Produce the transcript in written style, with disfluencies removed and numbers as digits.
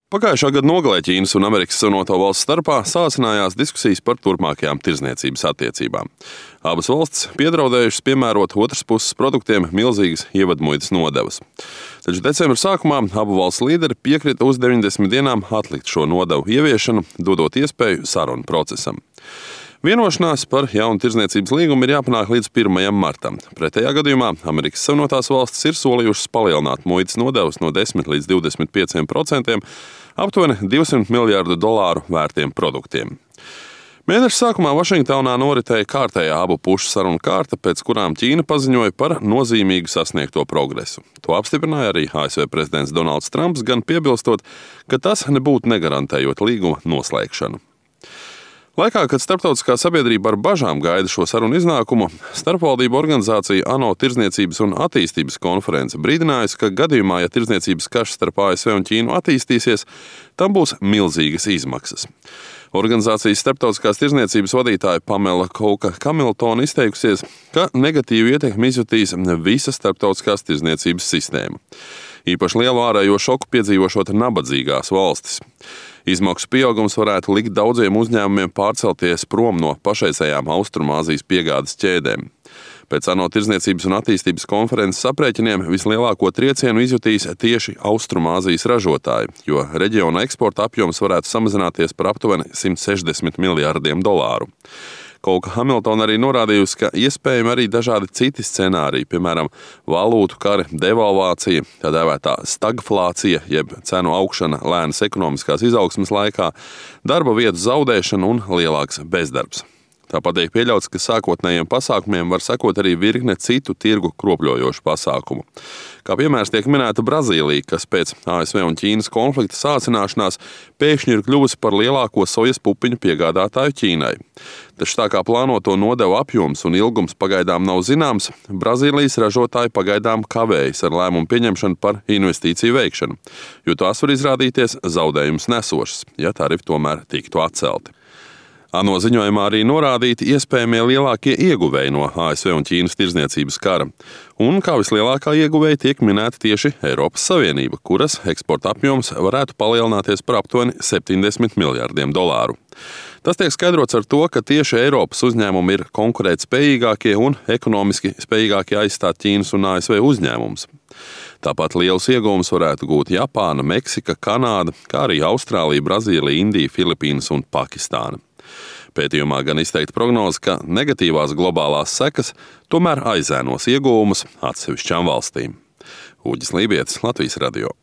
Pagājušā gada nogalē Ķīnas un Amerikas Savienoto Valstu starpā sācinājās diskusijas par turpmākajām tirdzniecības attiecībām. Abas valstis piedraudējušas piemērot otras puses produktiem milzīgas ievadmuitas nodevas. Taču decembra sākumā abu valstu līderi piekrita uz 90 dienām atlikt šo nodevu ieviešanu, dodot iespēju sarunu procesam. Vienošanās par jaunu tirdzniecības līgumu ir jāpanāk līdz 1. martam. Pretējā gadījumā Amerikas Savienotās Valstis ir solījušas palielināt muitas nodevas no 10 līdz 25% aptuveni $200 miljārdu vērtiem produktiem. Mēneša sākumā Vašingtonā noritēja kārtējā abu pušu sarunu kārta, pēc kurām Ķīna paziņoja par nozīmīgu sasniegto progresu. To apstiprināja arī ASV prezidents Donalds Trumps, gan piebilstot, ka tas nebūtu negarantējot līguma noslēgšanu. Laikā, kad starptautiskā sabiedrība ar bažām gaida šo sarunu iznākumu, starpvaldību organizācija ANO Tirdzniecības un attīstības konference brīdinājusi, ka gadījumā, ja tirdzniecības karš starp ASV un Ķīnu attīstīsies, tam būs milzīgas izmaksas. Organizācijas starptautiskās tirdzniecības vadītāja Pamela Couka Hamiltona izteikusies, ka negatīvu ietekmi izjutīs visa starptautiskās tirdzniecības sistēma. Īpaši lielu ārējo šoku piedzīvošot nabadzīgās valstis. Izmaksu pieaugums varētu likt daudziem uzņēmumiem pārcelties prom no pašreizējām Austrumāzijas piegādes ķēdēm. Pēc ANO Tirdzniecības un attīstības konferences aprēķiniem vislielāko triecienu izjutīs tieši Austrumāzijas ražotāji, jo reģiona eksporta apjoms varētu samazināties par aptuveni $160 miljārdiem. Couka Hamiltona arī norādījusi, ka iespējami arī dažādi citi scenāriji, piemēram, valūtu kari, devalvācija, tā dēvētā stagflācija, jeb cenu augšana lēnas ekonomiskās izaugsmes laikā, darba vietu zaudēšana un lielāks bezdarbs. Tāpat tiek pieļauts, ka sākotnējiem pasākumiem var sekot arī virkne citu tirgu kropļojošu pasākumu. Kā piemērs tiek minēta Brazīlija, kas pēc ASV un Ķīnas konflikta sācināšanās pēkšņi ir kļuvusi par lielāko sojas pupiņu piegādātāju Ķīnai. Taču tā kā plānoto nodevu apjoms un ilgums pagaidām nav zināms, Brazīlijas ražotāji pagaidām kavējas ar lēmumu pieņemšanu par investīciju veikšanu, jo tās var izrādīties zaudējumus nesošas, ja tarifi tomēr tiktu atcelti. ANO ziņojumā arī norādīti iespējamie lielākie ieguvēji no ASV un Ķīnas tirdzniecības kara. Un kā vislielākā ieguvēja tiek minēta tieši Eiropas Savienība, kuras eksporta apjoms varētu palielināties par aptuveni $70 miljārdiem. Tas tiek skaidrots ar to, ka tieši Eiropas uzņēmumi ir konkurētspējīgākie un ekonomiski spējīgākie aizstāt Ķīnas un ASV uzņēmumus. Tāpat lielus ieguvumus varētu gūt Japāna, Meksika, Kanāda, kā arī Austrālija, Brazīlija, Indija, Filipīnas un Pakistāna. Pētījumā gan izteikta prognoze, ka negatīvās globālās sekas tomēr aizēnos ieguvumus atsevišķām valstīm. Uģis Lībietis, Latvijas radio.